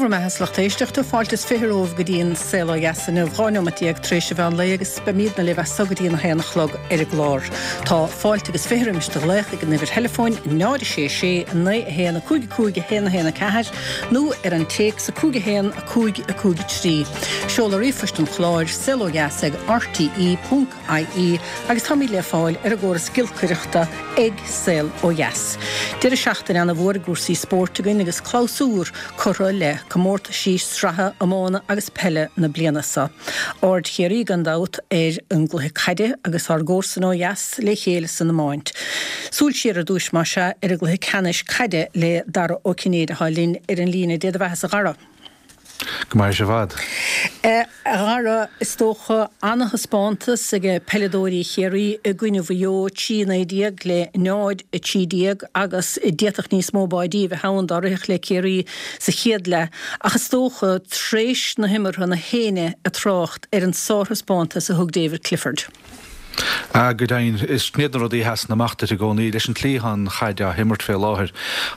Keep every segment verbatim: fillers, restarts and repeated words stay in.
Dé bhur mbeatha a lucht éisteachta, fáilte is fiche romhaibh go dtí an Saol Ó Dheas inniu, dhá neomat déag tar éis an mheán lae agus beimidne libh as so go dtí an haon a chlog ar an gclár. Tá fáilte agus fiche roimis do ghlaoch ag an uimhir theileafóin náid a sé sé naoi a haon a cúig a cúig a haon a haon a ceathair nó ar an téacs a cúig a haon a cúig a cúig a trí. Seoladh ríomhphoist an chláir, saol ó dheas ag R T E ponc I E agus táimid le fáil ar an gcóras giolcaireachta ag Saol Ó Dheas. Deireadh seachtaine ana-mhór i gcúrsaí spóirt againn agus clabhsúr curtha le comórtaisí sraithe iomána agus peile na bliana seo. Aird Chiarraí gan dabht ar an gcluiche caide agus ár gcomharsain ó dheas le chéile san iomáint. Súil siar ar dtúis más ea ar an gcluiche ceannais caide le Dara Ó Cinnéide atá linn ar an líne. Dé do bheatha a Dhara. Go maith i bhfad. A Dhara, is dócha ana-thaispeántas ag peileadóirí Chiarraí i gcoinne Mhaigh Eo trí naoi déag le náid a trí déag agus d'fhéadfadh níos mó báidí a bheith ann dá rithfeadh le Ciarraí sa chéad leath ach is dócha tréis na himeartha na héinne ag trácht ar an sárthaispeántas a thug David Clifford. Ah, go deimhin, is iad na rudaí a sheasann amach duit i gcónaí leis an tslí atá an chaid á himirt fé láthair.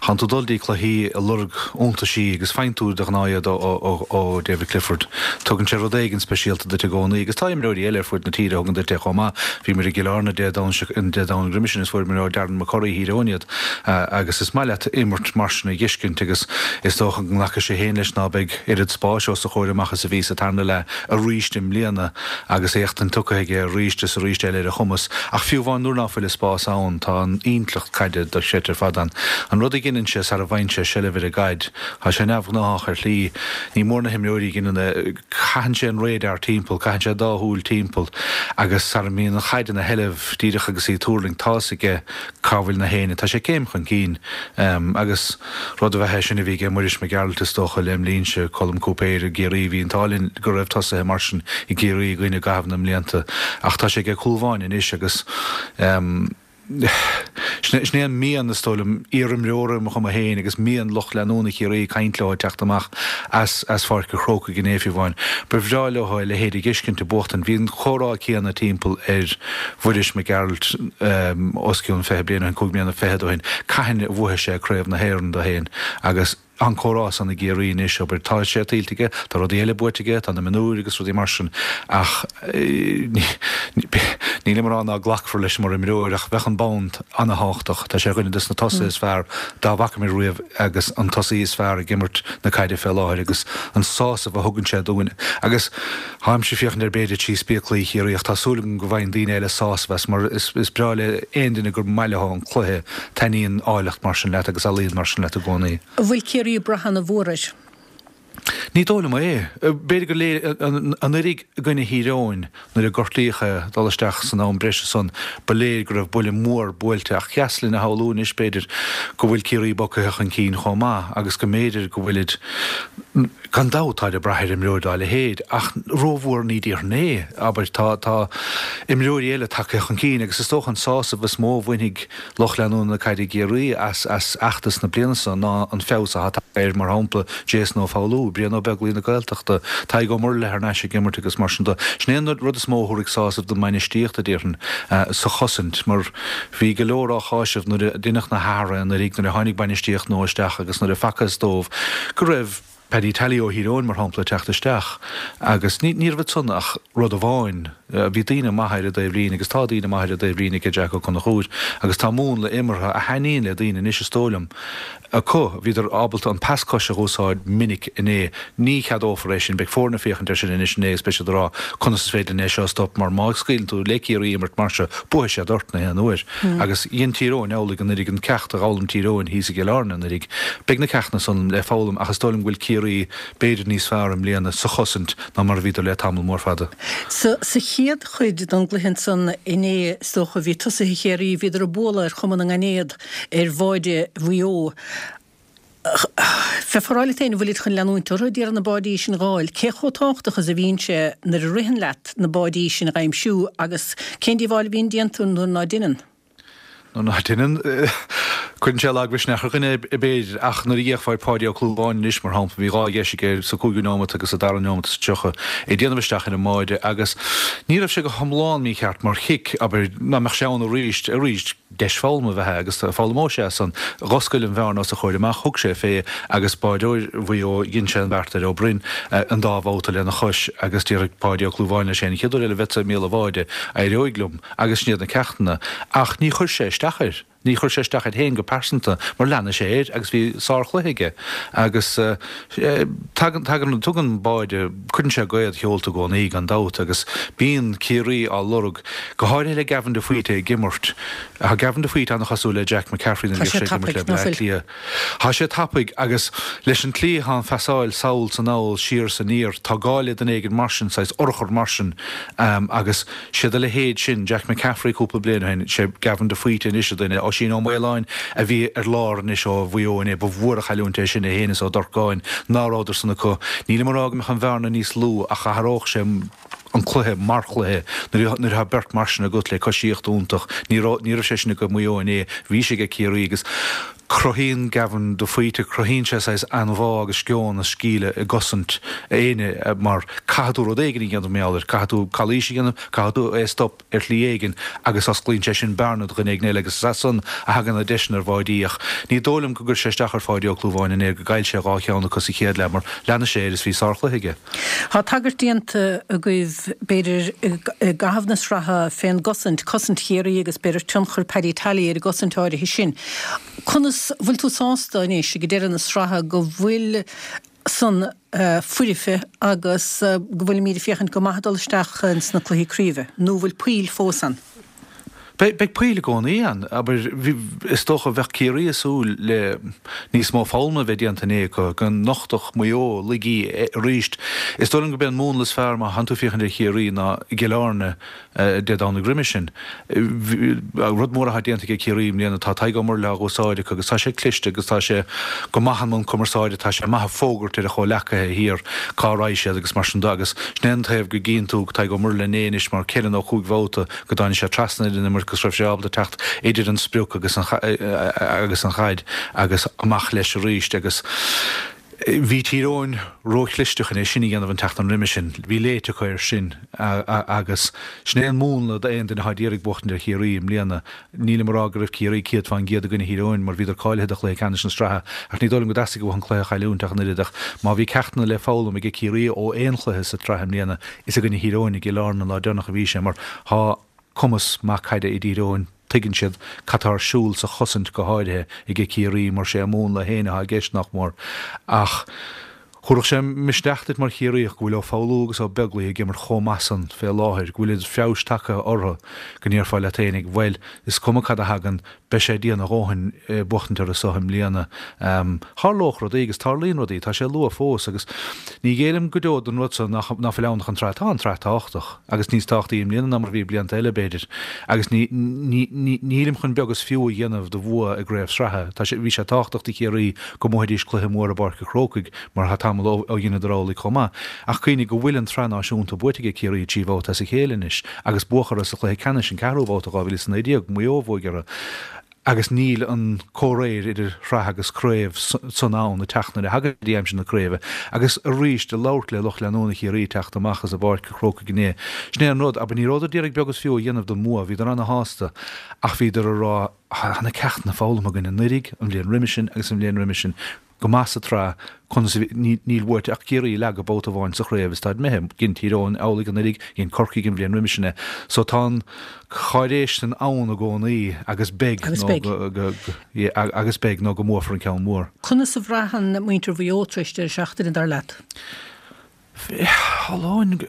Tánn tú dul dtí cluichí ag lorg iontaisí agus faigheann tú de ghnáth iad ó, ó, ó David Clifford. Tugann sé rud éigin speisialta duit i gcónaí agus tá imreoirí eile ar fud na tíre a thugann duit é chomh maith. Bhí muid i gCill Airne Dé Domhnaigh roimhe sin is fuair muid ó Darren McCurry Thír Eoghain iad agus is maith leat imirt mar sin a fheiscint agus is dócha go nglacfaidh sé féin leis ná beidh oiread spáis os a chomhair amach is a bhí sa tarna leath arís i mbliana agus éachtaint tugtha aige arís is arís eile ar a chumas ach fiú amháin nuair ná fuil spás ann tá an intleacht caide dochreidte ar fad ann. An rud a dhéanann sé sara bhfaigheann sé seilbh ar an gcaid, tá sé neamhghnách ar shlí, ní mór na himreoirí a dhéanann caitheann sé an radar timpeall, caitheann sé dá shúil timpeall agus sara mbíonn an chaid ina sheilbh díreach agus í ag tuirlingt tá a fhios aige cá bhfuil na héinne, tá sé céim chun cinn um, agus rud a bheith é sin a bhí ag Muiris Mac Gearailt is dócha lem linnse Colm Cúipéir i gCiarraí bhí an t-ádh linn go raibh tosaithe mar sin i gCiarraí againn i gcaitheamh na mblianta ach tá sé ag cúl bháin anois agus um, Sin é an mian is dóigh liom iarimreora mo chuma féin agus mian lucht leanúna Chiarraí caint leo teacht amach as as Pháirc an Chrócaigh inné fiú amháin. Ba bhreá leo a leithéid a fheiscint ag buachtaint, bhí an comhrá céanna timpeall ar Mhuiris Mac Gearailt um, os cionn fiche bliain an cúig bliana fichead ó shin. Cathain a bhuafaidh sé craobh na hÉireann dó féin agus an comhrá san i gCiarraí anois obair tá sé tuillte aige, tá rudaí eile buaite aige, tá na mionúir agus rudaí mar sin ach níl mé ag rá ná glacfar leis mar imreoir ach bheadh an bonn an-tábhachtach, Tá sé dhuine des na tosaithe is fearr dá bhfaca mé riamh agus an tosaí is fearr ag imirt na caide fé láthair agus an sásamh a thugann sé dúinn. Agus táimse ag féachaint ar b'fhéidir trí spéaclaí Chiarraí ach tá súil agam go bhfaigheann daoine eile sásamh as mar is, is breá le aon duine gur maith leo an cluiche taitníonn áilleacht mar sin leat agus ealaíon mar sin leat i gcónaí. Bhfuil Ciarraí ag brath ana-mhór air. Ní dóigh liom é. B'fhéidir go léir anuraidh i gcoinne Thír Eoghain nuair a gortaíodh é dul isteach san am breise san ba léir go raibh buille mór buailte ach deas linn a shamhlú anois b'fhéidir go bhfuil Ciarraí bogtha chun cinn chomh maith agus go mb'fhéidir go bhfuilid gan dabht tá ag brath ar imreoir dá leithéid ach rómhór ní déarfainn é abair tá tá imreoirí eile tagtha chun cinn agus is dócha an sásamh is mó a bhainfidh lucht leanúna na caide Ciarraí as as fheachtas na bliana seo ná an feabhas atá ar mar shampla Jason Ó Foghlú, Brian Ó Beaglaoich na Gaeltachta, Tadhg Ó Murlaithe thar n-ais ag imirt agus mar sin de. Sin é an rud is mó a thabharfaidh sásamh don mbainistíocht a déarfainn sa chosaint mar bhí go leor á cháiseamh nuair a deineadh na hathruithe anuraidh nuair a tháinig bainistíocht nua isteach agus nuair a facthas dóibh go raibh Paddy Tally ó Thír Eoghain mar shampla teacht isteach agus ní ní raibh san ach rud amháin bhí daoine maithe ar an dtaobhlíne agus tá daoine maithe ar an dtaobhlíne ag Jack Ó Conchúir agus tá múnla imeartha a thaitníonn le daoine anois is dóigh liom acu bhíodar ábalta an pas coise a úsáid minic inné ní cheadófar é sin beidh foirne ag féachaint ar sin anois inné is beidh siad ag rá conas is féidir é seo stop mar má scaoileann tú le Ciarraí imirt mar seo buafaidh siad ort na haon uair agus dhein Tír Eoghain amhlaidh anuraidh an ceacht a d'fhoghlaim Tír Eoghain thíos i gCill Airne anuraidh beidh na ceachtanna san le foghlaim ach is dóigh liom go bhfuil Ciarraí b'fhéidir níos fearr i mbliana sa chosaint ná mar a bhíodar le tamall mór fada. Sa sa chéad chuid den gcluiche san inné is dócha bhí tosaithe Chiarraí bhíodar ag bualadh ar chuma na ngainéad ar bháide Mhaigh Eo. Fe foráil féin bhfuil chun leanúint orthu ag iarraidh na báidí sin a fháil, cé chomh tábhachtach is a bhíonn sé nuair a ritheann leat na báidí sin a aimsiú agus cén díobháil a bhíonn déanta nuair ná déanann. Nó ná déanann Cuireann sé lagmhisneach ar dhuine, b'fhéidir, ach nuair a d'fhéachfá ar Pháidí Ó Clúmháin anois, mar shampla, bhí dhá dheis aige sa cúigiú nóimeat agus sa dara nóimeat is tríocha ag déanamh isteach ar an mbáide agus ní raibh sé go hiomlán mícheart mar chic, abair, dá mbeadh sé ann arís, arís, deis foghlama ab ea é agus foghlaimeoidh sé as san. Dh'oscail an bhearna os a chomhair amach, thug sé fé agus báireoir Mhaigh Eo, dhein sé an beart ar Ó Broin an dá bhabhta lena chois agus déarfaidh Páidí Ó Clúmháin leis féin, an chéad uair eile a bheadsa ag míol an bháide, éireoidh liom agus sin iad na ceachtanna. Ach ní chuir sé isteach air. Ní chuir sé isteach air féin go pearsanta mar lean sé air agus bhí sárchluiche aige. Agus tagann, tagann, tugann báide, cuireann sé gaoth i do sheolta i gcónaí gan dabht agus bíonn Ciarraí á lorg, go háirithe le Gavin de Faoite ag imirt. Tá Gavin de Faoite an-chosúil le Jack McCaffrey nuair a Tá bhíodh sé sé ag imirt tapaidh, le ná Bleá fuil? Cliath. Tá sé tapaidh agus leis an tslí atá an phasáil sall 's anall, siar 's aniar, tá gá le duine éigin mar sin, saghas urchar mar sin agus siad a leithéid sin, Jack McCaffrey cúpla bliain ó shin, sé Gavin de Faoite anois an duine, Oisín Ó Maoláin a bhí ar lár anois ó Mhaigh Eo inné, ba mhór an chailliúint é sin, é féin is Ó Dorcáin, ná rabhadar san acu. Nílim ag rá go mbeadh an bhearna níos lú ach athródh sé an cluiche mar chluiche nuair atá beirt mar sin agat le coisíocht iontach. Ní raibh ní raibh sé sin ag Maigh Eo inné, bhí sé ag Ciarraí agus cruthaíonn Gavin de Faoite, cruthaíonn sé saghas anbhá agus sceon is sceimhle i gcosaint éinne mar caithfidh tú rud éigin a dhéanamh mar gheall air, caithfidh tú calaois a dhéanamh, caithfidh tú é a stop ar shlí éigin agus osclaíonn sé sin bearna do dhuine éigin eile agus is as san a thagann na deiseanna ar bháidí ach ní dóigh liom go gcuir sé isteach ar Pháidí Ó Clúmháin inné gur ghoill sé dhá cheann acu sa chéad leath mar lean sé air is bhí sárchluiche aige. Tá tagairt déanta agaibh b'fhéidir i gcaitheamh na sraithe fén gcosaint, cosaint Chiarraí agus b'fhéidir tionchar Paddy Tally ar an gcosaint áirithe sin. Conas, bhfuil tú sásta anois ag deireadh na sraithe go bhfuil san foirfe agus go bhfuilimid ag féachaint go maith ag dul isteach ins na cluichí craoibhe, nó bhfuil poill fós ann? Beidh, beidh poill i gcónaí ann. Abair, bhí, is dócha, bheadh Ciarraí ag súil le níos mó foghlama a bheith déanta inné acu, go nochtfadh Maigh Eo laigí arís. Is dóigh liom gurb é an múnla is fearr má thánn tú ag féachaint ar Chiarraí ná i gCill Airne Dé Domhnaigh roimhe sin. Rud mór atá déanta aige Ciarraí i mbliana, tá Tadhg Ó Murlaigh á úsáid acu agus tá sé cliste agus tá sé go maith i mbun cumarsáide, tá sé maith ag fógairt ar a chomhleacaithe thiar cá raghaidh siad agus mar sin de agus sin é an taobh go gcíonn tú Tadhg Ó Murlaigh inné anois mar ceithre nó cúig bhabhta go dtáinig sé trasna ar an imirt agus raibh sé ábalta teacht idir an sprioc agus an agus an chaid agus amach leis arís agus bhí Tír Eoghain róchliste chun é sin a dhéanamh an tseachtain roimhe sin. Bhí léite acu air sin agus sin é an múnla d'aon duine atá ag iarraidh buachtaint ar Chiarraí i mbliana. Nílim ag rá go raibh Ciarraí céad fán gcéad i gcoinne Thír Eoghain mar bhíodar cáilithe do chluiche ceannais na sraithe ach ní dóigh liom go dteastaigh uathu an cluiche a chailliúint ach an oiread ach má bhí ceachtanna le foghlaim ag Ciarraí ó aon chluiche sa tsraith i mbliana is i gcoinne Thír Eoghain i gCill Airne an lá deireanach a bhí sé mar tá cumas maith caide i dTír Eoghain. Tuigeann siad cad tá ar siúl sa chosaint go háirithe aige Ciarraí mar sé a múnla féin atá i gceist nach mór. Ach thabharfadh sé misneach duit mar Chiarraíoch go bhfuil Ó Foghlú agus Ó Beaglaoich ag imirt chomh maith san fé láthair, go bhfuil oiread feabhais tagtha orthu go ndéarfá leat fhéinig, bhuel, is cuma cad a thagann, beidh sé dian a dhóthain buachtaint orthu so i mbliana. Tharlódh rudaí agus tarlaíonn rudaí, tá sé luath fós agus ní ghéillim go deo don rud so nach fuil ann ach an tsraith. Tá an tsraith tábhachtach agus níos tábhachtaí i mbliana ná mar a bhí blianta eile, b'fhéidir, agus ní nílim chun beag is fiú a dhéanamh de bhua i gcraobh sraithe. Tá sé, bhí sé tábhachtach do Chiarraí go mbuafaidís cluiche mór i bPáirc an Chrócaigh mar tá tamall ó dheineadar amhlaidh chomh maith. Ach cuimhnigh go bhfuil an tsraith náisiúnta buaite aige Ciarraí trí bhabhta as a chéile anois agus buadh orthu sa chluiche ceannais, an ceathrú babhta, dhá mhíle is a naoi déag, Maigh Eo a bhuaigh orthu. Agus níl an comhréir idir shraith agus craobh san ann ag teacht nuair a thagann go dtí aimsir na craoibhe. Agus arís, ag labhairt le lucht leanúna Chiarraí ag teacht amach as i bPáirc an Chrócaigh inné, sin é an rud, abair, ní rabhadar d'iarraidh beag is fiú a dhéanamh den mbua, bhíodar ana-shásta, ach bhíodar ag rá, tá na ceachtanna foghlamtha againn anuraidh, an bhliain roimhe sin agus an bhliain roimhe sin, go maith sa tsraith, conas a bhí, níl buaite ach Ciarraí a leagadh babhta amháin sa chraobh is táid imithe, dhein Tír Eoghain amhlaidh anuraidh, dhein Corcaigh an bhliain roimhe sin é. So tá an cháiréis san ann i gcónaí agus beidh Agus nó beidh. go, go, yeah, agus beidh nó go mbuafar an ceann mór. Conas a bhraitheann muintir Mhaigh Eo tar éis deireadh seachtaine, dar leat? Shamhlóinn,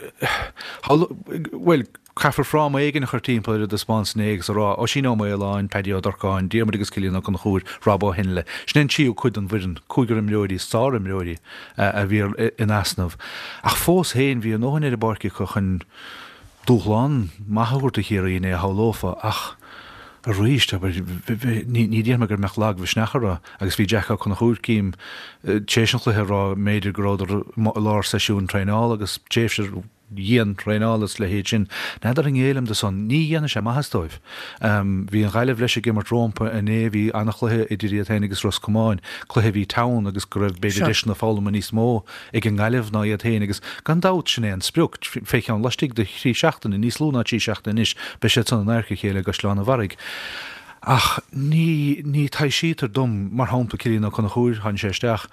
bhuel, caithfear fráma éigin a chur timpeall ar an dtaispeántas inné agus a rá, Oisín Ó Maoláin, Paddy Ó Durcáin, Diarmuid agus Cillian Ó Conchúir, Rob Ó hInle. Sin é an tríú cuid den bhfoireann, cúigear imreoirí, sárimreoirí, a bhí in easnamh. Ach fós féin, bhí a ndóthain ar an bpáirc acu chun dúshlán maith a thabhairt do Chiarraí inné, shamhlófá, ach arís, abair, ní déarfaidh mé go mbeadh lagmhisneach orthu agus bhí Jack Ó Conchúir, cím, tar éis an chluiche ag rá, mb'fhéidir go rabhadar i lár seisiúin traenála agus tréimhse dhian-traenála is a leithéid sin. N'fheadar an ngéillim do san, ní dhéanfaidh sé maitheas dóibh. Bhí an Ghaillimh leis ag imirt rómpa inné, bhí an-chluiche idir iad féin agus Ros Comáin, cluiche a bhí teann agus go raibh b'fhéidir deiseanna foghlama níos mó ag an nGaillimh ná iad féin agus gan dabht sin é an sprioc, fé cheann laistigh de thrí seachtaine, níos lú ná trí seachtaine anois, beidh siad san in adharca a chéile i gCaisleán an Bharraigh. Ach ní ní taibhsítear dom, mar shampla Cillian Ó Conchúir, tháinig sé isteach,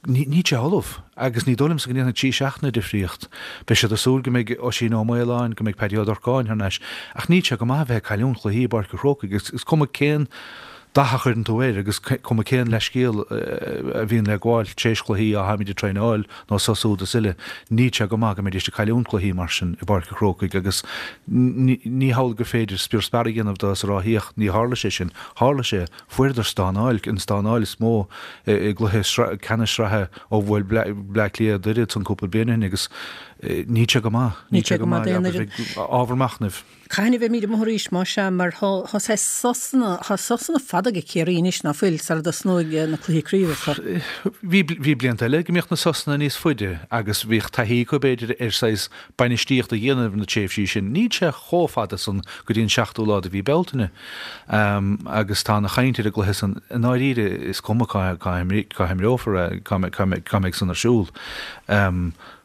Níl sé ullamh agus ní dóigh liomsa go ndéanfaidh trí seachtaine difríocht. Beidh siad ag súil go mbeidh Oisín Ó Maoláin, go mbeidh Paddy Ó Durcáin thar n-ais ach níl sé go maith a bheith ag cailliúint cluichí i bPáirc an Chrócaigh agus is cuma cén dath a chuireann tú air agus cuma cén leithscéal a bhíonn le gabháil tar éis cluichí, á tháimid ag traenáil nó sos úd is uile, níl sé go maith go mbeidís ag cailliúint cluichí mar sin i bPáirc an Chrócaigh agus ní hamhlaidh gur féidir spior spear a dhéanamh de is a rá féach, ní tharla sé sin. Tharla sé. Fuaireadar stánáil, an stánáil is mó i gcluiche ceannais sraithe ó bhuail Bleá Cliath Doire ansan cúpla bliain ó shin agus níl sé go maith, níl sé go maith, ábhar machnaimh. Cathain a bheimid amuigh arís, más ea, mar tá saghas sosanna, tá sosanna fada ag Ciarraí anois, ná fuil, sara dtosnóidh na cluichí craoibhe. Bhí, bhí blianta eile go mbíodh na sosanna níos faide agus bhíodh taithí acu b'fhéidir ar saghas bainistíocht a dhéanamh ar na tréimhsí sin. Níl sé chomh fada san go dtí an seachtú lá de mhí Bealtaine. Agus tá ana chaint ar an gcluiche san. I ndáiríre is cuma cá cá himreofar é, cá cá mbeidh san ar siúl.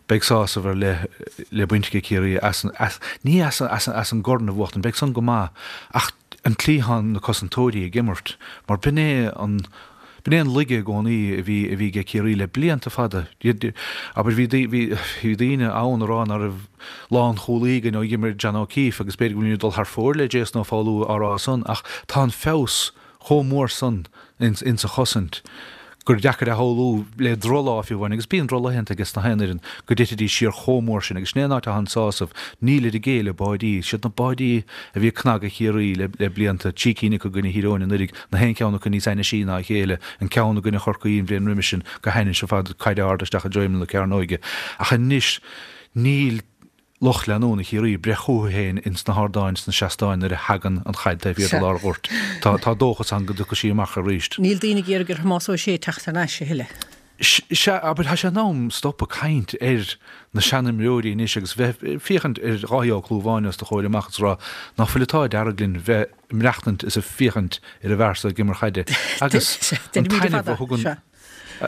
Beidh sásamh ar leith le baint ag Ciarraí as an, ní as as an gcorn a bhuachtaint, beidh san go maith, ach an tslí atá na cosantóirí ag imirt, mar b'in é an, B'in é an laige i gcónaí a bhí a bhí ag Ciarraí le blianta fada. Abair, bhí bhí daoine ann a rá ná raibh lánchúlaí againn ó dh'imir John O'Keeffe agus b'fhéidir go bhfuilimid ag dul thar fóir le Jason Ó Foghlú á rá san ach tá an feabhas chomh mór san ins an chosaint gur deacair a shamhlú le drochlá fiú amháin, agus bíonn drochlaethanta aige sna haon fhoireann, go dtitfidís siar chomh mór sin, agus sin é an áit atá an sásamh, nílid ag géilleadh báidí, siad na báidí a bhí ag cnagadh Chiarraí le le blianta, trí cinn acu i gcoinne Thír Eoghain anuraidh, na haon cheann acu níos ainnisí ná a chéile, an ceann i gcoinne Chorcaí an bhliain roimis sin go hainnis ar fad, caid ard isteach i dtreo imeall na cearnóige, ach anois níl. lucht leanúna Chiarraí ag breith chucu féin ins na hardáin sna seastáin nuair a thagann an chaid taobh thiar de lár an ghoirt. Tá tá dóchas ann go dtiocfaidh sí amach arís. Níl daoine ag iarraidh ar Thomás Ó Sé teacht thar n-ais a thuilleadh. Sea, abair, tá sé in am stopadh caint ar na seanimreoirí anois agus bheith ag féachaint ar Dháithí Ó Clúmháin os do chomhair amach is rá ná fuil an t-ádh dearg linn bheith ag maireachtaint is ag féachaint ar an bhfear so ag imirt chaide agus an taitneamh a thugann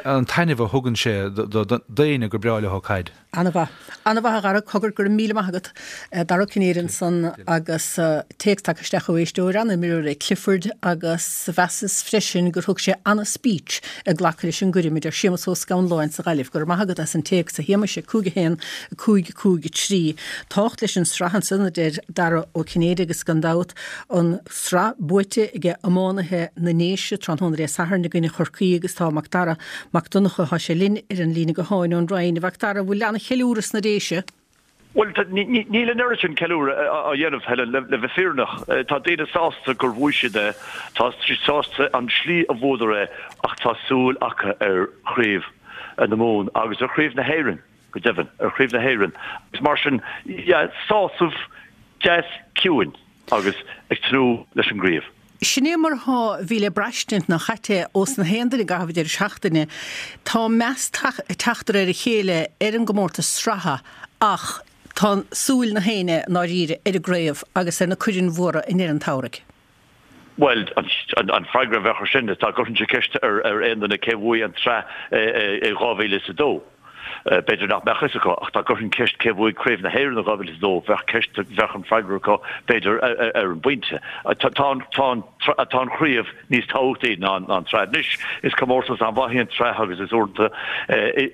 an taitneamh a thugann sé d'éinne gur breá leo caid. Ana-mhaith. Ana-mhaith a Dhara, cogar, go raibh míle maith agat. Dara Ó Cinnéide ansan agus téacs tagtha isteach ó éisteoir, an-imreoir é Clifford agus mheasas freisin gur thug sé ana-speech ag glacadh leis an gcoirm, a deir Séamus Ó Scanláin sa Ghaillimh. Go raibh maith agat as an téacs a Shéamais, a cúig a haon, a cúig cúig a trí. Tábhacht leis an sraith ansan, a deir Dara Ó Cinnéide agus gan dabht an sraith buaite ag iománaithe na nDéise tráthnóna Dé Sathairn i gcoinne Chorcaí agus tá Macdara Mac Donncha, tá sé linn ar an líne gutháin ón Rinn. A Mhacdara, an bhfuil ana-cheiliúradh sna Déise? Bhuel, níl an oiread sin ceiliúradh á dhéanamh, Helen, le bheith fírinneach. Tá daoine sásta gur bhuaigh siad é, tá siad sásta an slí a bhuadar é ach tá súil acu ar chraobh na Mumhan agus ar chraobh na hÉireann, go deimhin, ar chraobh na hÉireann. Agus mar sin, yeah, sásamh deas ciúin agus ag tnúth leis an gcraobh. Sin é mar atá, bhí le braistint nach ait é ós na haon duine i gcaitheamh an deireadh seachtaine. Tá meas ag teacht de réir a chéile ar an gcomórtas sraithe ach tá súil na héinne i ndáiríre ar an gcraobh agus ar na coirn mhóra i ndeireadh an tsamhraidh. Bhuel, an freagra a bheadh ar sin, dá gcuirfinnse ceist ar aon duine cé bhuaigh an tsraith i dhá mhíle is a dó, b'fhéidir nach mbeadh fhios acu, ach dá gcuirfinn ceist cé bhuaigh Craobh na hÉireann i dhá mhíle is a dó, bheadh ceist, bheadh an freagra acu, b'fhéidir, ar an bpointe. Tá an, tá an, tá an chraobh níos tábhachtaí ná an tsraith. Anois, is comórtas an-mhaith í an tsraith agus is uaireanta,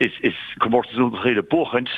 is, is comórtas iontach í le buachaint.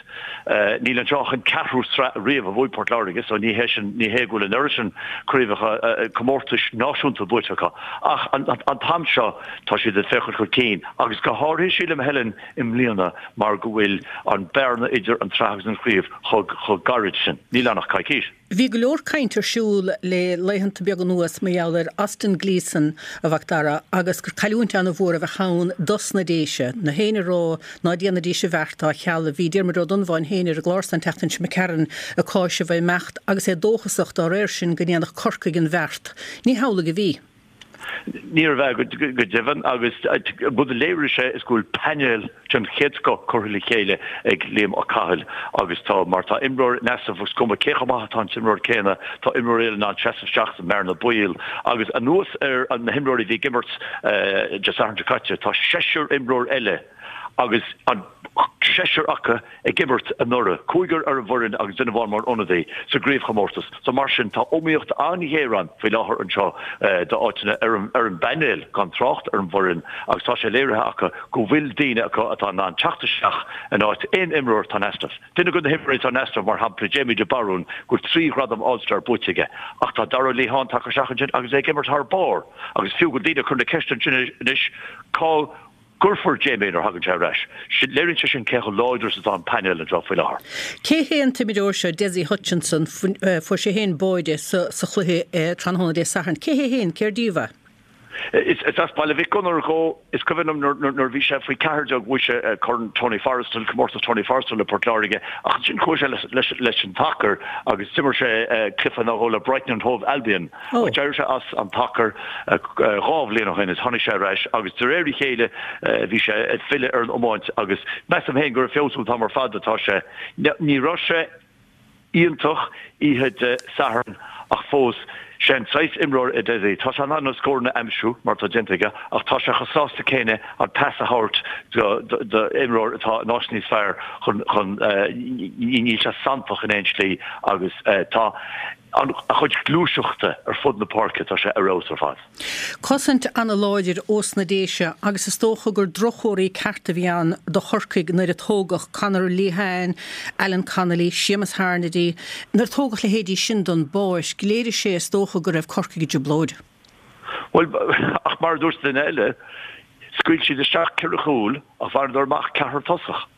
Níl anseo ach an ceathrú sraith riamh a bhuaigh Port Láirge, so ní hé sin, ní hé go bhfuil an oiread sin craobhacha, comórtais náisiúnta buaite acu. Ach an t-am seo, tá siad ag féachaint chun cinn, agus go háirithe, sílim, Helen, i mbliana mar go bhfuil an bearna idir an tsraith agus an chraobh chomh gairid sin. Níl ann ach coicís. Bhí go leor cainte ar siúl le laethanta beaga anuas mar gheall ar Austin Gleeson, a Mhacdara, agus gur cailliúint an-mhór a bheadh ann dos na Déise. Na héinne a rá ná déanfaidís an bheart dá cheal. Bhí Diarmuid Ó Donnabháin féin ar an gclár san an tseachtain seo imigh tharainn ag cáiseamh a imeacht agus é dóchasach dá réir sin go ndéanfadh Corcaigh an bheart. Ní hamhlaidh a bhí. Níorbh ea go deimhin agus rud a léirigh sé is go bhfuil painéal den chéad scoth curtha le chéile ag Liam Ó Cathail agus tá mar tá imreoir in easnamh is cuma cé chomh maith atá an t-imreoir céanna tá imreoir eile in ann seasamh isteach sa mbearna baoil agus anuas ar na himreoirí a bhí ag imirt Dé Sathairn seo caite tá seisear imreoir eile agus an seisear acu ag imirt anuraidh, cúigear ar an bhfoireann agus duine amháin mar ionadaí, sa gcraobhchomórtas. So mar sin, tá iomaíocht an-ghéar ann faoi láthair anseo d'áiteanna ar an bpainéal, gan trácht ar an bhfoireann, agus tá sé léirithe acu go bhfuil daoine acu atá in ann teacht isteach in áit aon imreoir atá in easnamh. Duine de na himreoirí atá in easnamh, mar shampla, Jamie de Barún, go bhfuil trí ghradam All-Star buaite aige, ach tá Darragh Lehane tagtha isteach ansin agus é ag imirt thar barr agus fiú go bhfuil daoine ag cur na ceiste ansin anois cá gcuirfear Jamie nuair a thagann sé ar ais. Léiríonn sé sin cé chomh láidir is atá an painéal anseo faoi láthair. Cé hé an t-imreoir seo, Dessie Hutchinson? Fuair sé féin báide sa chluiche tráthnóna Dé Sathairn. Cé hé féin? Cér díobh é? Is as Baile Mhic Gonair dhó. Is cuimhin liom nuair a bhí sé faoi ceathair déag bhuaigh sé Corn Tony Forristal, Comórtas Tony Forristal le Port Láirge ach ansin chuaigh sé leis an tsacar agus d'imir sé cluiche nó dhó le Brighton and Hove Albion. Ach d'éirigh sé as an tsacar dhá bhliain ó shin is tháinig sé ar ais agus de réir a chéile bhí sé ag filleadh ar an iomáint agus measaim féin gur ag feabhsú an t-am ar fad atá sé. Ní raibh sé iontach oíche Dé Sathairn ach fós, sé an saghas imreoir é Dessie. Tá sé in ann na scóranna a aimsiú, mar atá déanta aige, ach tá sé chomh sásta céanna an pas a thabhairt do imreoir atá in áit níos fearr chun, chun, níl sé santach in aon slí agus tá. A chuid gluaiseachta ar fud na páirce, tá sé ar fheabhas ar fad. Cosaint ana-láidir ós na Déise agus is dócha gur drochthomhartha ceart a bhí ann do Chorcaigh nuair a tógadh Conor Lehane, Alan Connolly, Séamus Harnedy, nuair a tógadh leithéidí sin don bpáirc. Léirigh sé is dócha go raibh Corcaigh i dtrioblóid. Bhuel, ach mar a dúirt duine eile, scaoil siad isteach ceithre chúl ach bhaineadar amach ceathrar tosach.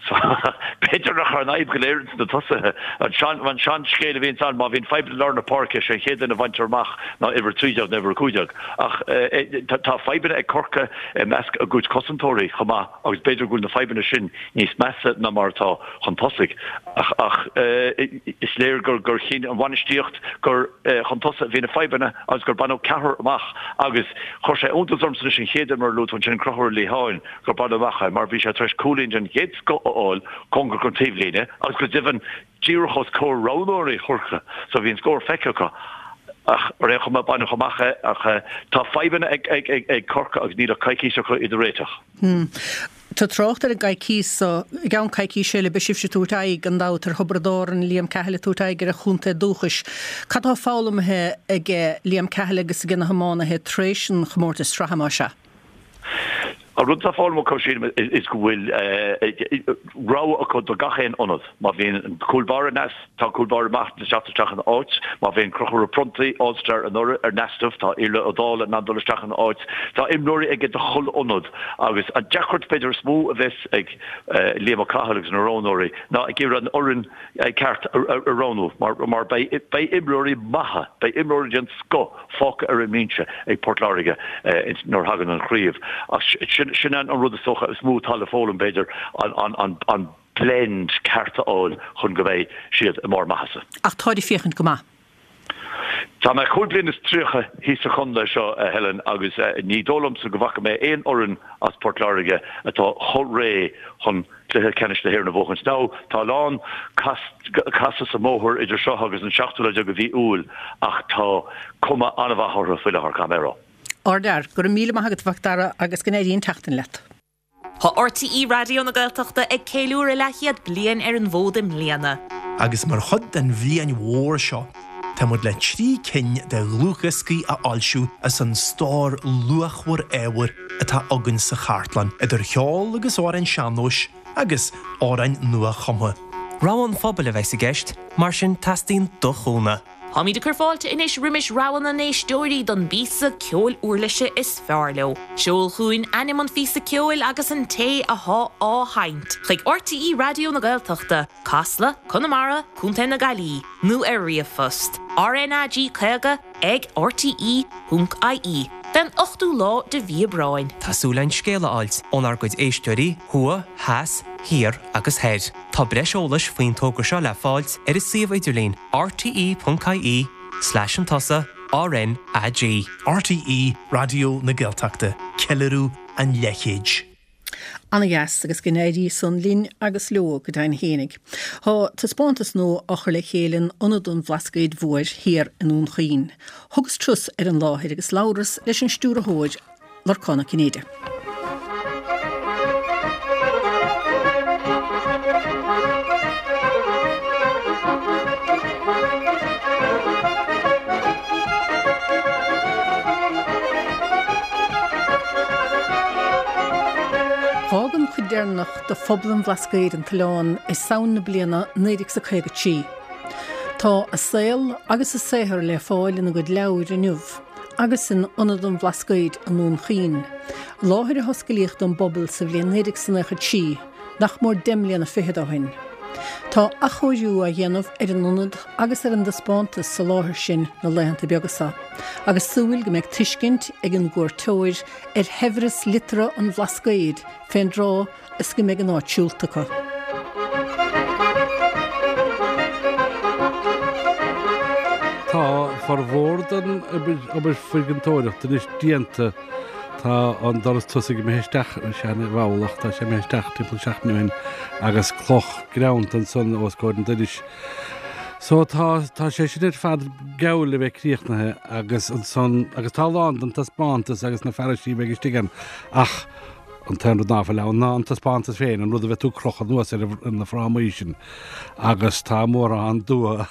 So, b'fhéidir nach raibh an fhadhb go léir ins na tosaithe. An sean-scéal a bhíonns ann, má bhíonn fadhb i lár na páirce, sé an chéad duine a bhaintear amach ná uimhir a trí déag nó uimhir a cúig déag. Ach tá fadhbanna ag Corcaigh i measc a gcuid cosantóirí chomh maith agus b'fhéidir go bhfuil na fadhbanna sin níos measa ná mar atá chun tosaigh. Ach is léir gur chinn an bhainistíocht gur chun tosaigh a bhí na fadhbanna agus gur baineadh ceathrar amach agus chuir sé iontas ormsa anois an chéad imreoir a luaigh tú ansin, Conchúr Lehane, gur baineadh amach é mar bhí sé tar éis cúilín den chéad scoth a fháil cóngarach don taobhlíne agus go deimhin díreach os comhair roghnóirí Chorcaí so bhí an scór feicthe acu ach ar aon chuma baineadh amach é ach tá fadhbanna ag Corcaigh agus níl ach coicís acu iad a réiteach. Tá trácht ar an gcoicís so i gceann coicíse eile beidh sibhse ag tabhairt aghaidh gan dabht ar Thiobraid Árann, Liam Cahill ag tabhairt aghaidh ar a chontae dúchais. Cad tá foghlamtha ag Liam Cahill agus ag na hiománaithe tar éis an chomórtais sraithe más ea? An rud atá foghlamtha acu, sílim, is go bhfuil rogha acu do gach aon ionad. Má bhíonn cúl báire in easnamh, tá cúl báire maith le teacht isteach ina áit. Má bhíonn Conchúr Ó Pronntaigh, All-Star anuraidh, ar easnamh, tá Iarla Ó Dálaigh in ann dul isteach ina áit. Tá imreoirí aige do chuile ionad agus an deacracht b'fhéidir is mó a bheas ag Liam Ó Cathail agus na roghnóirí ná ag iarraidh an fhoireann ceart a roghnú mar beidh imreoirí maithe, beidh imreoirí den scoth fágtha ar an mbinse ag Port Láirge nuair a thagann an chraobh. Ach sin an rud is dócha is mó atá le foghlaim, b'fhéidir, an blend ceart a fháil chun go mbeidh siad i mbarr maitheasa. Ach táid ag féachaint go maith. Tá mé cúig bliana is tríocha thíos sa chontae seo, a Helen, agus ní dóigh liomsa go bhfaca mé aon fhoireann as Port Láirge atá chomh réidh chun Cluiche Ceannais na hÉireann a bhuachaint. Now, tá a lán casadh sa mbóthar idir seo agus an seachtú lá déag de mhí Iúil ach tá cuma an-mhaith orthu faoi láthair, caithfidh mé a rá. Ardfhear. Go raibh míle maith agat, a Mhac Dara, agus go n-éirí an tseachtain leat. Tá RTÉ Raidió na Gaeltachta ag ceiliúradh leathchéad bliain ar an bhfód i mbliana. Agus mar chuid den bhliain mhór seo, tá muid le trí cinn de dhlúthdhioscaí a fhoilsiú as an stór luachmhar ábhair atá againn sa chartlann, idir cheol agus amhráin sean-nóis agus amhráin nua-chumtha. Rogha an phobail a bheas i gceist, mar sin teastaíonn do chúnamh. Táimid ag cur fáilte anois roimis rogha na n-éisteoirí don bpíosa ceoil uirlise is fearr leo. Seol chugainn ainm an phíosa ceoil agus an té athá á sheinnt chuig RTÉ Raidió na Gaeltachta, Casla, Conamara, Contae na Gaillimhe, nó ar ríomhphost, RnaG caoga ag rte ponc ie, fén ochtú lá de mhí Aibreáin. Tá súil againn scéala a fháilt ónár gcuid éisteoirí, thuaidh, theas, thiar agus thoir. Tá breis eolais faoin togra seo le fáilt ar an suíomh idirlín rte.ie slash an tusa RnaG. RTÉ Raidió na Gaeltachta, ceiliúradh an leathchéid. Ana-dheas agus go n-éirí san linn agus leo go deimhin fhéinig. Tá taispeántas nua á chur le chéile in Ionad an Bhlascaoid Mhóir thiar i nDún Chaoin. Thugas turas ar an láthair agus labhras leis an stiúrthóir Lorcán Ó Cinnéide. D'fhág an chuid deireanach de phobal an Bhlascaoid an t-oileán i Samhain na bliana naoi déag is a caoga trí. Tá a saol agus a saothar le fáil ina gcuid leabhar inniu agus in Ionad an Bhlascaoid i nDún Chaoin, láthair a hosclaíodh don bpobal sa bhliain naoi déag is naocha trí, nach mór deich mbliana fichead ó shin. Tá athchóiriú á dhéanamh ar an ionad agus ar an dtaispeántas sa láthair sin na laethanta beaga seo, agus súil go mbeidh tuiscint ag an gcuairteoir ar shaibhreas liteartha an Bhlascaoid fén dtráth is go mbeidh an áit siúlta acu. Tá formhór den obair foirginteoireachta anois déanta. Tá an doras tosaigh imithe isteach, seana-bhall ach tá sé imithe isteach timpeall seachtain ó shin agus cloch greanta ansan os comhair an dorais. So tá tá sé sin ar fad geall le bheith críochnaithe agus ansan agus tá a lán den taispeántas agus na fearaisí a bheidh istigh ann ach an t-aon rud ná fuil ann ná an taispeántas féin, an rud a bheidh tú ag crochadh anuas ar na frámaí sin agus tá mórán dua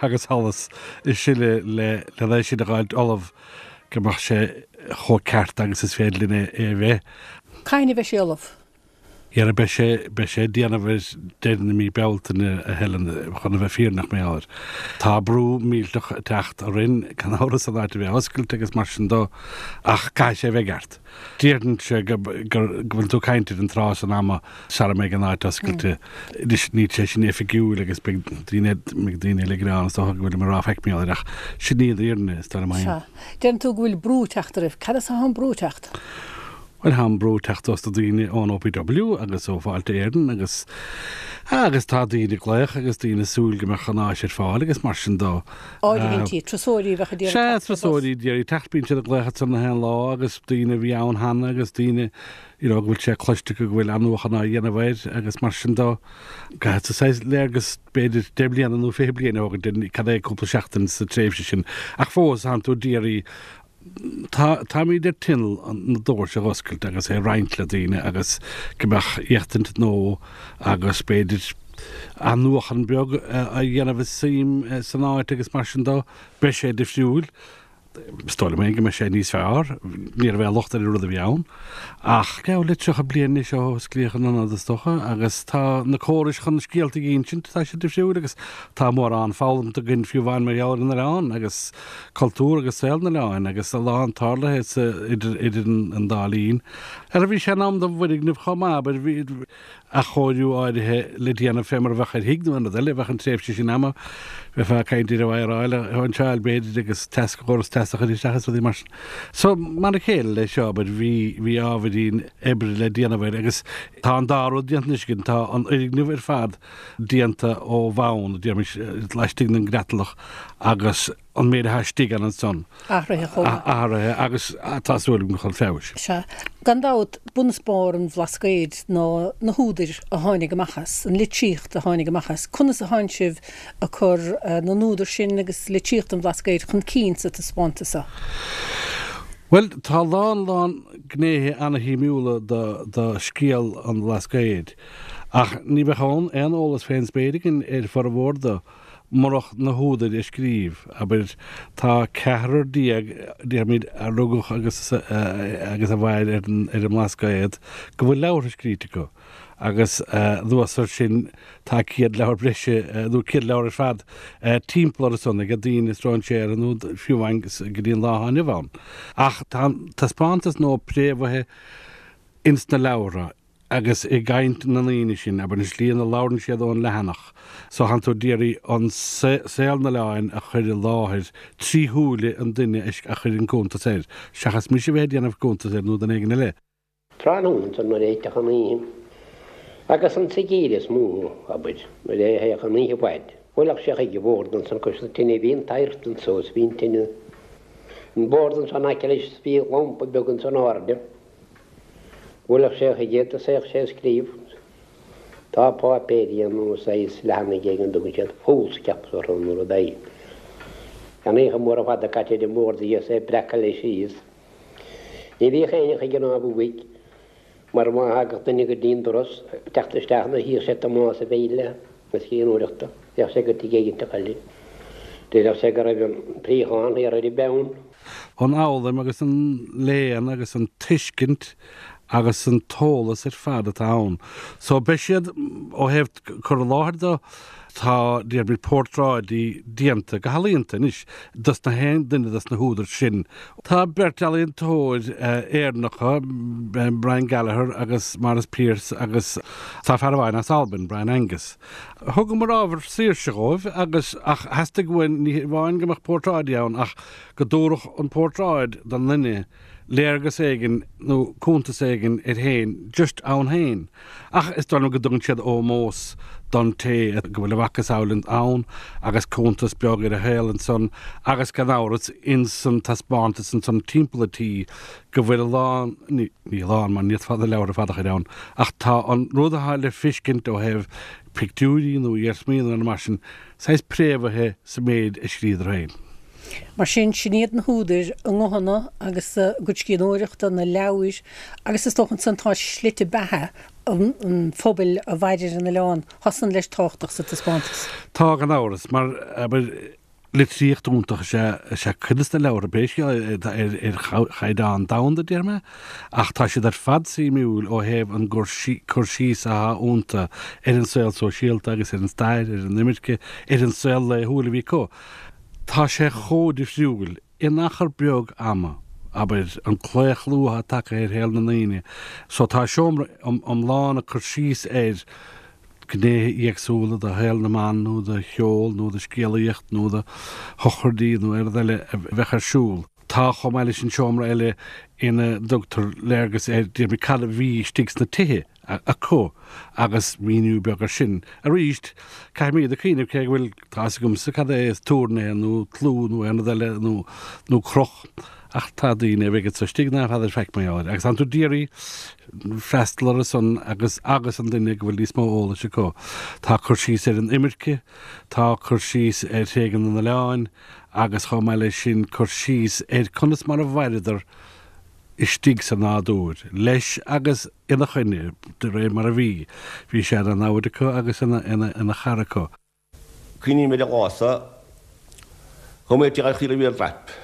agus allas ag sileadh le le é sin a dh'fháilt ullamh go mbeadh sé chomh ceart agus is féidir linn é a bheith. Cathain a bheidh sé ullamh? Dhera, beidh sé, beidh sé ag déanamh ar deireadh na mí Bealtaine, a Helen, chun a bheith fírinneach mar gheall air. Tá brú millteach ag teacht orainn, gan amhras, an áit a bheith oscailte agus mar sin dó, ach caithfidh sé a bheith ceart. Déarfainnse go, go, go bhfuil tú ag caint ar an tráth san ama sara mbeidh an áit oscailte. Anois, níl sé sin oifigiúil agus beidh daoine, beidh daoine eile ag gearán is dócha go bhfuilim ag rá faic mar gheall air ach sin í an fhírinne, is dóigh liom féin. Sea. Deireann tú go bhfuil brú ag teacht oraibh. Cad as atá an brú ag teacht? Bhuel, tá an brú ag teacht ós na daoine ón OPW agus ó Fáilte Éireann agus, agus tá daoine ag glaoch agus daoine ag súil go mbeadh an áis ar fáil agus mar sin dó. Áirithintí, turasóirí a bheadh ag iarraidh Sea, teacht ar bus. turasóirí ag iarraidh teacht, bíonn siad ag glaoch ansan na haon lá agus daoine a bhí ann cheana agus daoine you know go bhfuil sé cloiste acu go bhfuil athnuachan á dhéanamh air agus mar sin dó. Caithfidh tú saghas léargas b'fhéidir deich mbliana nó fiche bliain a thógaint ar cad é cúpla seachtain sa tréimhse sin ach fós tánn tú ag iarraidh Tá, táimid ar tinneall na doirse a dh'oscailt agus é a roinnt le daoine agus go mbeadh éachtaint nua agus b'fhéidir athnuachan beag a dhéanamh i suim san áit agus mar sin dó. Beidh sé difriúil. Is dóigh liom féin go mbeidh sé níos fearr. Ní raibh aon locht ar an rud a bhí ann. Ach geall le tríocha bliain anois ó osclaíodh an ionad is dócha agus tá na córais chun scéalta a insint, tá siad difriúil agus tá mórán foghlamtha againn fiú amháin mar gheall ar an oileán agus cultúr agus saol an oileáin agus a lán tarlaithe sa, idir, idir an dá linn. Ara bhí sé in am don bhfoirgneamh chomh maith, abair, bhí athchóiriú áirithe le déanamh fé mar a bheadh ar thigh nó aon rud eile, bheadh an tréimhse sin ama, bheifeá ag caint ar an wire-áil a shóinseáil b'fhéidir agus teas, córas teasa a chur isteach is rudaí mar sin. So, mar a chéile leis seo, abair, bhí, bhí ábhairín oibre le déanamh air agus tá an dá rud déanta anois againn, tá an fhoirgneamh ar fad déanta ó bhonn, déarfaimis, laistigh den gcreatlach agus an méid atá istigh ann ansan. Athraithe chomh maith. Athraithe agus tá súil agam chun feabhais. Sea. Gan dabht, bun is barr an Bhlascaoid ná na húdair a tháinig amach as, an litríocht a tháinig amach as. Conas a thánn sibh ag cur na n-údar sin agus litríocht an Bhlascaoid chun cinn sa taispeántas seo? Bhuel, tá a lán, lán gnéithe ana-shuimiúla do, do scéal an Bhlascaoid. Ach ní bheadh aon eolas fén spéir againn ar formhór de murach na húdair a scríobh. Abair, tá ceathrar déag, déarfaimid, a rugadh agus agus a mhair ar an ar an mBlascaod go bhfuil leabhartha scríte acu. Agus anuas air sin tá céad leabhar breise, nó céad leabhar ar fad, timpeall orthu san ag daoine stróinséartha nó fiú amháin go dtí an lá atá inniu ann. Ach tá an taispeántas nua préamhaithe ins na leabhartha. agus i gcaint na ndaoine sin, abair, an tslí ina labhrann siad ón leathanach, so thánn tú d'iarraidh an saol an oileáin a chur i láthair trí shúile an duine a chuir an cuntas air, seachas mise a bheith ag déanamh cuntas air nó duine éigin eile. Tráthnóna ansan nuair a thitfeadh an oíche, agus an sa gheimhreadh is mó, abair, nuair a théadh an oíche i bhfad, bhuailfeadh sé chuig an bhord ansan cois na tine, bhí an t-adhairt anso is bhí an tine An bord ansan aice leis is bhí lampa beag ins an airde. Bhuailfeadh sé chuige iad is théadh sé ag scríobh. Tá páipéirí nó saghas leathanaigh éigin a dtugann siad foolscap orthu nó rud éigin. An oíche mhór ar fad caite ar an mbord aige is é ag breacadh leis síos. Ní bhíodh éinne chuige ná uaidh mar má thagadh duine go dtí an doras ag teacht isteach nuair a chífeadh sé Tomás ag béile na scríbhneoireachta, bheadh sé go tigh éiginteach eile. Déarfadh sé go raibh an préachán thiar ar an bpeann. An fhoghlaim agus an léann agus an tuiscint agus an t-eolas ar fad atá ann. So beidh siad, ó thaobh cur i láthair de, tá déarfaimid portráidí déanta go healaíonta anois dos na haon duine dos na húdair sin. Tá beirt ealaíontóir Éireannacha, Brian Gallagher agus Maurice Pearse agus tá fear amháin as Albain, Brian Angus. Thugamar ábhar saoirse dhóibh agus ach theastaigh uainn ní hamháin go mbeadh portráidí ann ach go dtabharfadh an portráid don duine léargas éigin nó cuntas éigin air féin, just ann féin. Ach is dóigh liom go dtugann siad ómós don té go bhfuil a mhacasamhail ann agus cuntas beag ar a shaol ansan agus gan amhras insan taispeántas ansan timpeall an tí go bhfuil a lán, ní a lán mar ní fhéadfá na leabhair ar fad a chur ann, ach tá an rud atá le feiscint ó thaobh pictiúirí nó iarsmaí nó mar sin, saghas préamhaithe sa méid a scríobhadar féin. Mar sin, sin iad na húdair, a nguthanna agus a gcuid scríbhneoireachta, na leabhair agus is dócha ansan tá slite beatha an phobail a mhair ar an oileán, tá san leis tábhachtach sa taispeántas. Tá, gan amhras, mar, abair, litríocht iontach is ea, is ea cuid de na leabhartha, pé scéal é, ar chaighdeán domhanda, déarfaidh mé, ach tá siad ar fad suimiúil ó thaobh an cur síos atá iontu ar an saol sóisialta agus ar an stair, ar an imirce, ar an saol laethúil a bhí acu. Tá sé chomh difriúil in achar beag ama, abair, an claochlú atá tagtha ar shaol na ndaoine. So tá seomra iomlán ag cur síos ar ghnéithe éagsúla de shaol na mban nó de cheol nó de scéalaíocht nó de shochraidí nó aon rud eile a bheadh ar siúl. Tá chomh maith leis an seomra eile ina dtugtar léargas ar déarfaidh mé cad a bhí istigh sna tithe acu agus míniú beag air sin. Arís, caithfimid a chuimhneamh cé go bhfuil, tá fhios agamsa cad é is túrnae nó tlú nó aon rud eile nó nó croch ach tá daoine a bheidh anso istigh ná feadar faic mar gheall air agus tánn tú d'iarraidh freastal orthu san agus agus an duine go bhfuil níos mó eolais acu. Tá cur síos ar an imirce, tá cur síos ar thréigean an oileáin agus chomh maith leis sin cur síos ar conas mar a mhaireadar istigh sa nádúr, leis agus ina choinne, de réir mar a bhí. Bhí sé ina namhaid acu agus ina chara acu. Cuimhním ar an lá so, chuaigh mé tigh an Chaoirigh Bhraip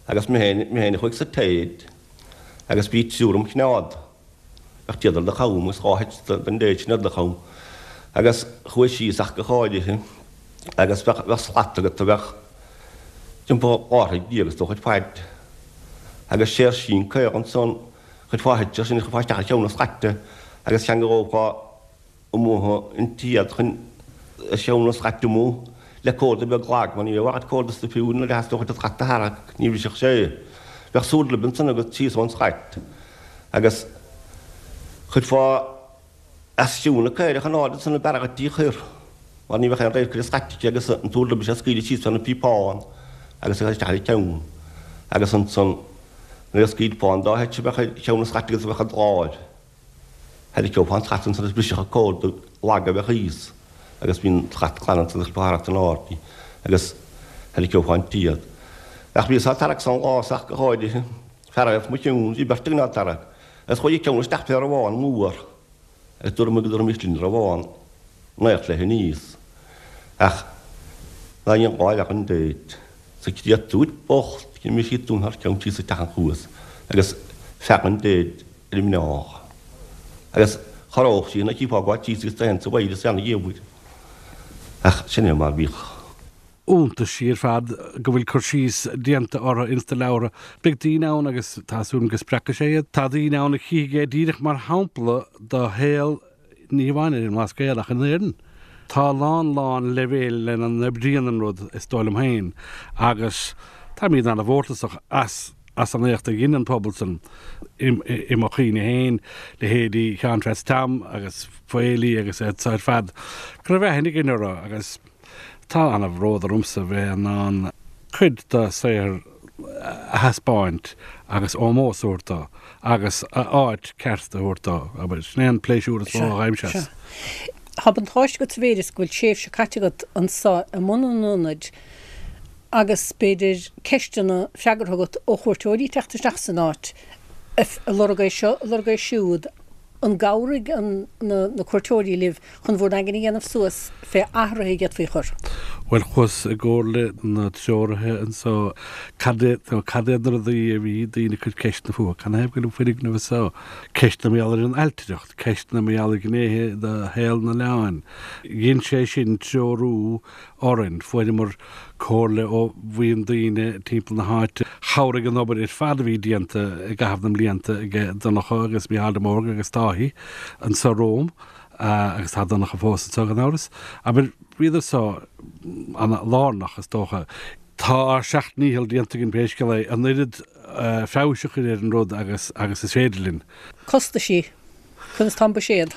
agus mé féin, mé féin a chuaigh sa téad agus bhí triúr im choimeád. Bheadh téad ar do cham agus dhá sheit den dtéad sin ar do cham. Agus chuaigh síos ach go háirithe agus bheadh, bheadh slat agat a bheadh timpeall dhá throigh déag is dócha ar faid. Agus séirsín caol ansan, chuirfeá thuit sin, chuirfeá isteach ar cheann na slaite agus cheangalófá amuigh an téad chun ar cheann na slaite amuigh le córda beag lag, mar ní bheadh agat córda sa fiú nuair a theastódh an tslat a tharrac, ní bhrisfeadh sé. Bheadh súdlib ansan agat síos ón slait agus chuirfeá As cionn na caorach in airde ansan ab fhearr dhuit í chur, mar ní bheadh aon radharc ar an slait aici agus an t-úrlab is ea scaoileadh síos fé na píopáin agus a chur isteach ar a ceann agus ansan nuair a scaoilfeá an dá sheit a bheadh ar cheann na slaite agus a bheadh i d'láimh tharraiceofá an tslat ansan agus brisfeadh an córda lag a bheadh thíos agus bhí an tslat glan ansan agus chuirfeá thart in airde í agus tharraiceofá an téad. Ach bhíos á tarrac san lá so ach go háirithe, fear os mo chionn, bhí beirt againn á tarrac agus chuaigh a ceann isteach fé rabhán mór. Agus dúradh go dtabharfaimis linn rabhán naoi troithe aníos. Ach ná aon ghá bheadh an dtéid sa créatúir bocht d'imigh sí dúinn thar ceann síos isteach an chuas agus feadh an dtéid ar an mbealach. Agus chorródh sí ina chífeá go síos agus téann sa bhfaighidh is ana gheimhridh. Ach sin é mar bhíodh. iontaisí ar fad go bhfuil cur síos déanta orthu ins na leabhartha. Beidh daoine ann agus tá súil agam go spreagfaidh sé iad. Tá daoine ann a chífidh é díreach mar shampla do shaol ní hamháin ar an mBlascaod ach in Éirinn. Tá a lán lán leibhéil lena n-oibríonn an rud, is dóigh liom féin, agus táimid an-mhórtasach as as an éacht a dhein an pobal san i mo chuimhne féin, leithéidí Sheáin Pheaits Tom agus Faoilí agus iad so ar fad, go raibh aithne againn orthu agus Tá an-bhród ormsa bheith in ann cuid de shaothar a thaispeáint agus ómós a thabhairt dó agus a áit ceart a thabhairt dó, abair. Sin é an pléisiúr is mó a fhaighimse as. Tá buntáiste agat sa mhéid is go bhfuil tréimhse caite agat anso i mbun an ionaid agus b'fhéidir ceisteanna freagartha agat ó chuairteoirí ag teacht isteach san áit, ag lorg é seo, ag lorg é siúd. An gcabhraigh na cuairteoirí libh chun bhur n-aigne a dhéanamh suas fé athruithe a d'fhéadfaí a chur? Bhuel, chuas i gcomhairle na treoraithe anso cad é, cad iad na rudaí a bhí daoine ag cur ceisteanna fúthu, canathaobh go bhfuil an foirgneamh anso, ceisteanna mar gheall ar an ailtireacht, ceisteanna mar gheall ar ghnéithe de shaol an oileáin. Dhein sé sin treorú orainn. Fuaireamar comhairle ó bhuíon daoine timpeall na háite. Chabhraigh an obair ar fad a bhí déanta i gcaitheamh na mblianta ag Donncha agus Mícheál de Mórdha agus Dáithí anso romham, agus tá Donncha fós anso gan amhras. Abair, bhíodar so ana-lárnach, is dócha. Tá ár seacht ndícheall déanta againn pé scéal é, an oiread feabhais a chur ar an rud agus agus is féidir linn. Costaisí, conas tá an buiséad?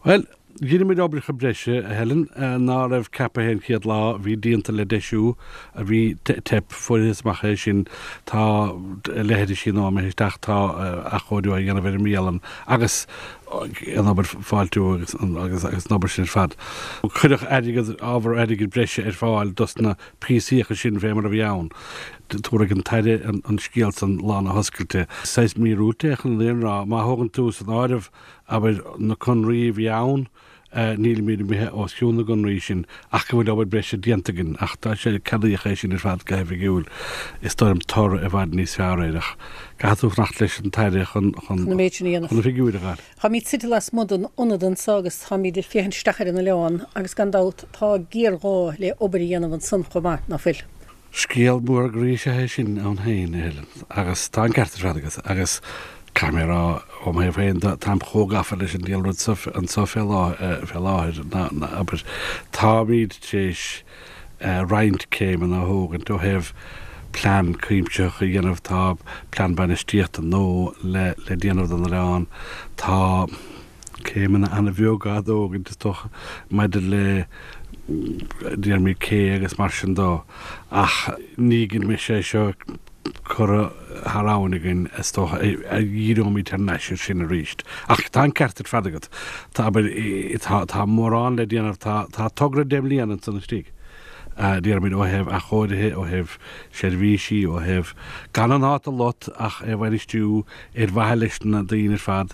Bhuel, Dheineamair oibreacha breise, a Helen, ná raibh ceaptha an chéad lá, bhí díonta le deisiú, a bhí teip, fuarthas amach é sin, tá leithrisí nua imithe isteach, tá athchóiriú á dhéanamh ar an mbialann agus an obair fáiltiú agus agus an obair sin ar fad. Cuireadh airgead, ábhar airgid breise ar fáil dos na píosaíocha sin fé mar a bhí ann. Tabharfaidh an tAire an scéal san lá na hoscailte. Saghas míorúilt é chun an fhírinne a rá, má thógann tú san áireamh, abair, na conraí a bhí ann, nílimid imithe os cionn na gconraí sin ach go bhfuil obair breise déanta againn ach tá sé, ceadaíodh é sin ar fad go hoifigiúil. Is dóigh liom toradh i bhfad níos fearr air ach caithfidh tú fanacht leis an tAire chun, chun, Chun an méid sin a dhéanamh. chun na figiúirí a fháil. Táimid suite lasmuigh den ionad anso agus táimid ag féachaint isteach ar an oileán agus gan dabht tá géarghá le obair a dhéanamh ansan chomh maith, ná fuil? Scéal mór groí is ea é sin ann féin, a Helen, agus tá an ceart ar fad agat. Agus caithfidh mé a rá, ó mo thaobh féin de, táim chomh gafa leis an diabhal rud so anso fé láthair, ná, abair, táimid tar éis roinnt céimeanna a thógaint ó thaobh plean cuimsitheach a dhéanamh, tá plean bainistíochta nua le déanamh don oileán, tá. céimeanna an-bheag á dtógaint, is dócha, maidir le déarfaimid cé agus mar sin dó, ach ní go mbeidh sé seo curtha thar abhainn againn, is dócha, a dhíreoimid thar n-ais air sin arís. Ach tá an ceart ar fad agat. Tá, abair, tá, tá mórán le déanamh, tá, tá togra deich mbliana ansan istigh, déarfaimid, ó thaobh athchóirithe, ó thaobh seirbhísí, ó thaobh gan an áit a lot ach é a bhainistiú ar mhaithe leis na daoine ar fad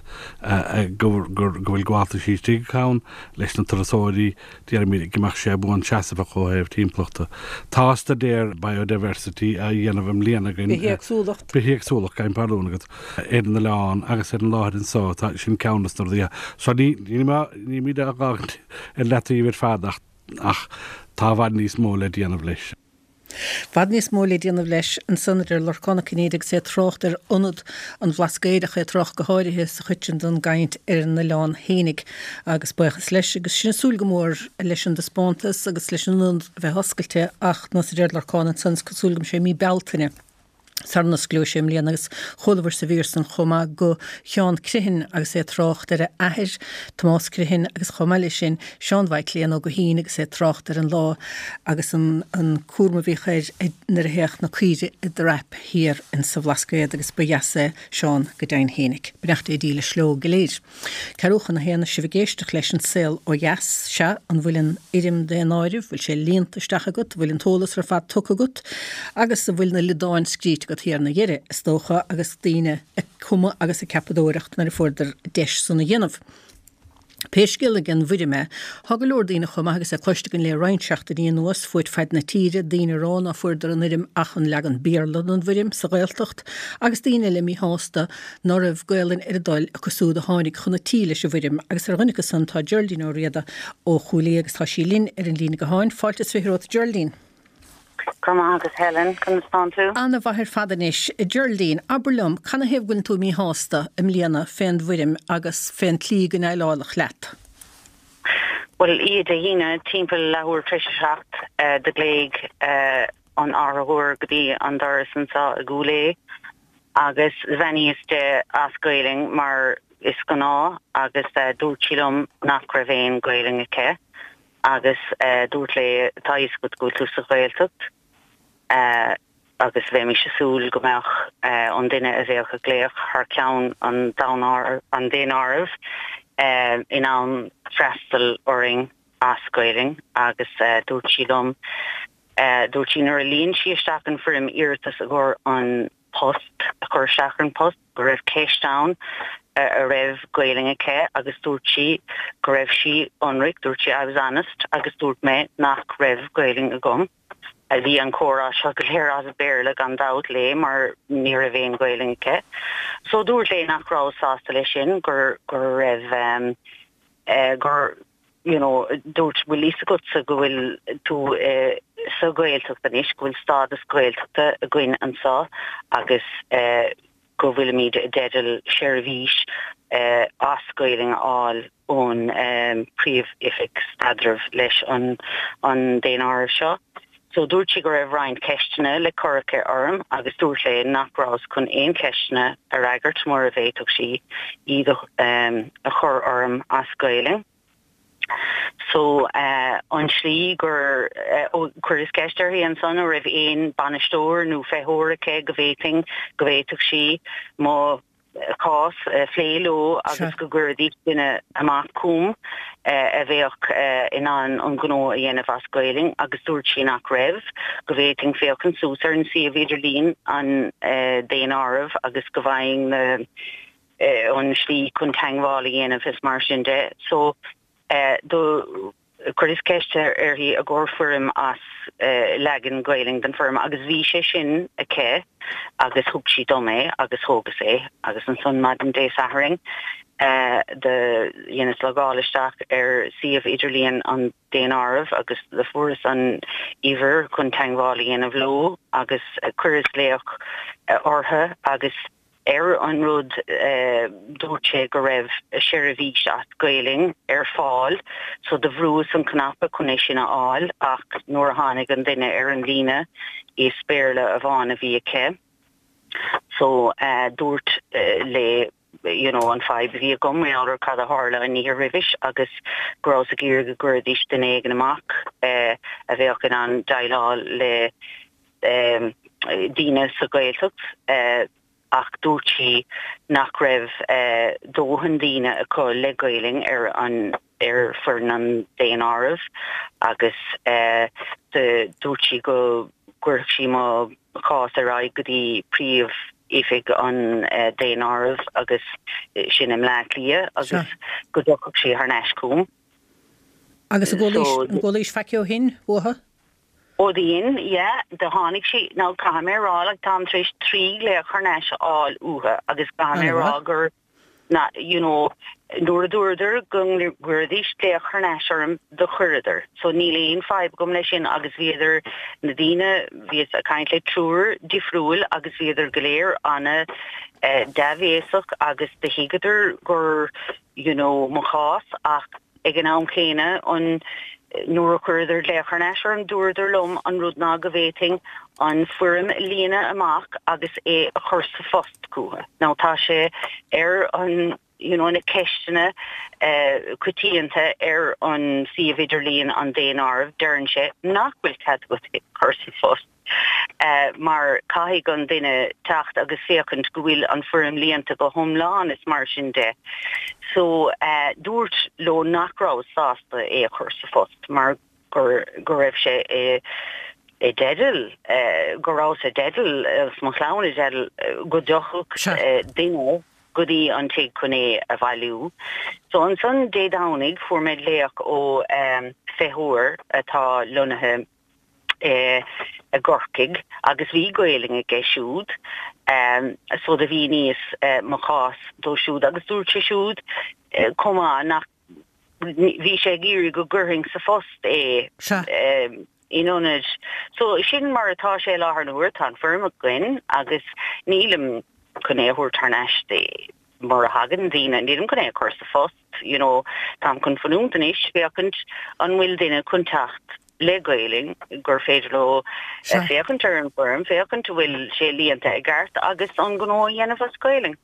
go bhfuil gabháltaisí istigh acu ann, leis na turasóirí, déarfaimid, go mbeadh sé buanseasmhach ó thaobh timpeallachta. Tá staidéar biodiversity á dhéanamh i mbliana againn. Bithéagsúlacht. Bithéagsúlacht, gabhaim pardún agat, ar an oileán agus ar an láthair anso, tá, sin ceann de na rudaí. So ní, nílimid á fhágaint ar leataobh ar fad ach ach tá i bhfad níos mó le déanamh leis. bhfad níos mó le déanamh leis ansan, a deir Lorcán Ó Cinnéide agus é ag trácht ar Ionad an Bhlascaoid ach é ag trácht go háirithe sa chuid sin den gcaint ar an oileán fhéinig agus buíochas leis agus sinn ag súil go mór leis an dtaispeántas agus leis an ionad a bheith oscailte ach nós a deir Lorcán ansan is cosúil go mbeidh sé i mí Bealtaine. Sara n-osclóidh sé i mbliana agus chualabhair sa mhír san chomh maith go Sheán Criomhthain agus é ag trácht ar a athair, Tomás Criomhthain agus chomh maith leis sin Seán Mhaidhc Léan Ó Guithín agus é ag trácht ar an lá agus an an cúram a bhíodh air nuair a théadh na caoirigh i dtrap thiar insa Bhlascaod agus ba dheas é Seán go deimhin fhéinig. Beannacht Dé dílis leo go léir. Ceathrú chun a haon is sibh ag éisteacht leis An Saol Ó Dheas. Sea, an bhfuil an fhoirm daonáirimh, bhfuil sé líonta isteach agat, bhfuil an t-eolas ar fad tugtha agat agus an bhfuil na liodáin scríte agat thiar ina dheireadh, is dócha, agus daoine ag cumadh agus ag ceapadóireacht nuair a fuaireadar deis san a dhéanamh. Pé scéal ag an bhfoirm é, tá go leor daoine chomh maith agus é cloiste againn le roinnt seachtainí anuas, fuaid faid na tíre, daoine ag rá ná fuaireadar an fhoirm ach an leagan Béarla den bhfoirm sa Ghaeltacht agus daoine eile míshásta ná raibh Gaolainn ar a dtoil acu súd a tháinig chun a tí leis an bhfoirm agus ar dhuine acu san tá Geraldine Ó Riada ó Chúil Aodha agus tá sí linn ar an líne gutháin. Fáilte is fiche romhat Geraldine. Go raibh maith agat Helen, conas tánn tú? Ana-mhaith ar fad anois. A Geraldine, abair liom, canathaobh go bhfuileann tú míshásta i mbliana fén bhfoirm agus fén tslí go ndéileáladh leat? Bhuel, oíche Dé hAoine, timpeall leathuair tar éis a seacht, do ghlaoigh an árthóir go dtí an doras anseo i gCúil Aodha agus bheannaíos di as Gaelainn mar is gnáth agus dúirt sí liom nach raibh aon Ghaelainn aici. Agus dúrt léi, tá a fhios agat go bhfuil tú sa Ghaeltacht, agus bheimis ag súil go mbeadh an duine a bheadh ag glaoch thar ceann an an daonáirimh in ann freastal orainn as Gaelainn agus dúirt sí liom dúirt sí nuair a líon sí isteach an foirm iarratas i gcomhair an post a chur isteach ar an post go raibh ceist ann a raibh Gaelainn aici agus dúirt sí go raibh sí ionraic, dúirt sí I was honest agus dúirt mé nach raibh Gaelainn agam. Bhí an comhrá seo go léir as Béarla gan dabht léi mar ní raibh aon Ghaelainn aici. So dúirt léi nach raibh sásta leis sin gur gur raibh um, uh, gur you know, dúirt bhfuil fhios agatsa go bhfuil tú uh, sa Ghaeltacht anois go bhfuil stádas Gaeltachta againn anseo agus uh, go bhfuilimid i dteideal seirbhís uh, as Gaelainn a fháil ón um, príomh-oifig staidrimh leis an an daonáireamh seo. So dúirt sí go raibh roinnt ceisteanna le cur aici orm agus dúirt léi nach rabhas chun aon cheisteanna a fhreagairt mura bhféadfadh sí iad um, a chur orm as Gaelainn. So uh, an slí gur uh, chuireas ceist uirthi ansan an raibh aon bainisteoir nó feitheoir aici go bhféadfainn go bhféadfadh sí mo chás uh, phlé leo agus go gcuirfidís duine amach chugam uh, a bheadh uh, in ann an gnó a dhéanamh as Gaelainn agus dúirt sí nach raibh go bhféadfainn féachaint suas ar an suíomh idirlín an uh, daonáireamh agus go bhfaighinn uh, uh, an slí chun teagmháil a dhéanamh is mar sin de. So uh, do chuireas ceist uirthi i gcomhair foirm as uh, leagan Gaelainn den foirm agus bhí sé sin aici agus thug sí dom é agus thógas é agus ansan maidin Dé Sathairn uh, do dheineas logáil isteach ar suíomh idirlíon an daonáireamh agus do fuaireas an uimhir chun teagmháil a dhéanamh leo agus chuireas glaoch orthu agus ar an rud uh, dúirt sé go raibh seirbhís as Gaelainn ar fáil, so do bhrúas an cnaipe chun é sin a fháil ach nuair a tháinig an duine ar an líne is Béarla amháin a bhí aici. So uh, dúirt uh, léi you know, an fadhb bhí agam ar cad a tharla an oíche roimhe agus go rabhas ag iarraidh go gcuirfidís duine éigin amach uh, a bheadh in ann déileáil le um, daoine sa Ghaeltacht uh, ach dúirt sí nach raibh uh, dóthain daoine acu le Gaelainn ar an ar foireann an daonáireamh agus uh, dúirt sí go gcuirfeadh sí mo chás ar aghaidh go dtí príomh oifig an uh, daonáireamh agus sin i mBleá Cliath agus go dtiocfadh sí thar n-ais chugam. Agus an bhfuil faic ó shin uathu? Ó dhein, yeah, do tháinig sí nó caithfidh mé a rá like táim tar éis trí ghlaoch thar n-ais a fháil uathu agus caithfidh mé a rá gur na you know nuair a dúradar go gcuirfidís glaoch thar n-ais orm do chuireadar. So níl aon fadhb agam leis sin agus bhíodar na daoine bhíos ag caint le triúr difriúil agus bhíodar go léir ana uh, dea-bhéasach agus do thuigeadar gur you know mo chás ach ag an am céanna an nuair a chuireadar glaoch thar n-ais orm dúradar liom an rud ná go bhféadfainn an foirm a líonadh amach agus é a chur sa phost chucu. Now tá sé ar an you know, na ceisteanna uh, coitianta ar an suíomh idirlíon an daonáireamh deireann sé nach bhfuil cead agat é chur sa phost. Uh, mar caithfidh an duine teacht agus féachaint go bhfuil an foirm líonta go hiomlán is mar sin de. So uh, dúirt leo nach raibh sásta é a chur sa phost mar gur go raibh sé i i dteideal uh, go raibh i dteideal uh, mo chlann i dteideal uh, go dtiocfadh uh, duine go dtí an tigh chun é a bhailiú. So ansan Dé Domhnaigh fuair mé glaoch ó um, feitheoir atá lonnaithe eh, i gCorcaigh agus bhí Gaelainn aige siúd um, so do mhíníos uh, mo chás dó siúd agus dúirt sé siúd uh, chomh maith nach bhí sé ag iarraidh go gcuirfinn sa phost é um, in ionad. So sin mar atá sé láthair na huaire tá an foirm againn agus nílim chun é a thabhairt thar n-ais mura thagann daoine nílim chun é a chur sa phost, you know, táim chun fanúint anois féachaint an bhfuil duine chun teacht le Gaelainn gur féidir leo eh, féachaint ar an bhfoirm, féachaint bhfuil sé líonta i gceart agus an gnó a dhéanamh as Gaelainn.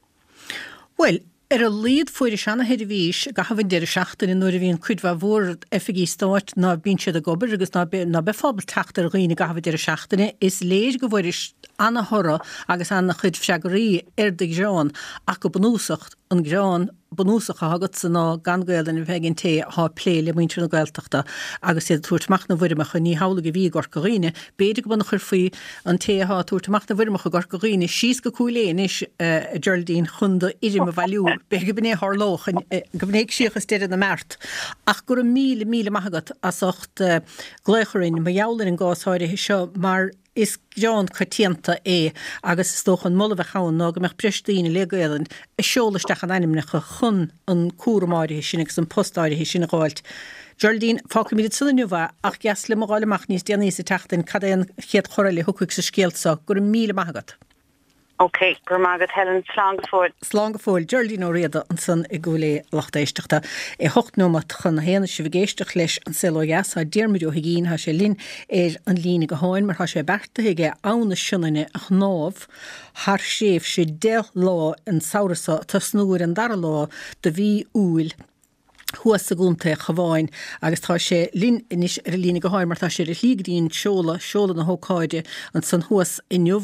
Well, Ar a laghad fuairis ana-sheirbhís i gcaitheamh an deireadh seachtaine nuair a bhíonn cuid mhaith mhór oifigí stáit ná bíonn siad ag obair agus ná ná beifeá ábalta teacht ar dhaoine i gcaitheamh an deireadh seachtaine. Is léir go bhfuairis ana-thoradh agus ana-chuid freagraí ar do ghearán ach go bunúsach an gearán bunúsach atá agatsa ná gan Gaelainn a bheith ag an té atá ag plé le muintir na Gaeltachta agus iad ag tabhairt amach na bhfoirmeacha, ní hamhlaidh a bhí i gCorca Dhuibhne. B'fhéidir go mba chuirfí an té atá ag tabhairt amach na bhfoirmeacha i gCorca Dhuibhne síos go Cúil Aodha anois, a Geraldine, chun do fhoirm a bhailiú. B'fhéidir go b'in é a tharlódh, go b'in é síochas deireadh na mbeart. Ach go raibh míle míle maith agat as ucht glaoch orainn mar gheall ar an gcás áirithe seo mar is gearán coitianta é agus is dócha an moladh a bheadh ann ná go mbeadh breis daoine le Gaelainn ag seoladh isteach a n-ainmneacha chun an cúram áirithe sin agus an post áirithe sin a dh'fháilt. Geraldine, fágfaimid ansan inniu é ach dheas liom a dh'fháil amach níos déanaí sa tseachtain cad é an chéad chor eile a thiocfaidh sa scéal seo. Go raibh míle maith agat. Ok, go raibh maith agat Helen, slán go fóill. Slán go fóill. Geraldine Ó Riada ansan i gCúil Aodha lucht éisteachta. É hocht nóiméad chun a haon sibh ag éisteacht leis An Saol Ó Dheas. Tá Diarmuid Ó hUigínn, tá sé linn ar an líne gutháin mar tá sé beartaithe aige Abhainn na Sionainne a shnámh thar thréimhse deich lá an samhradh seo, tosnú ar an dara lá de mhí Iúil. thuas i gContae an Chabháin agus tá sé linn anois ar an líne gutháin mar tá sé ar a shlí go dtí an seoladh, seoladh na hócáide ansan thuas inniu.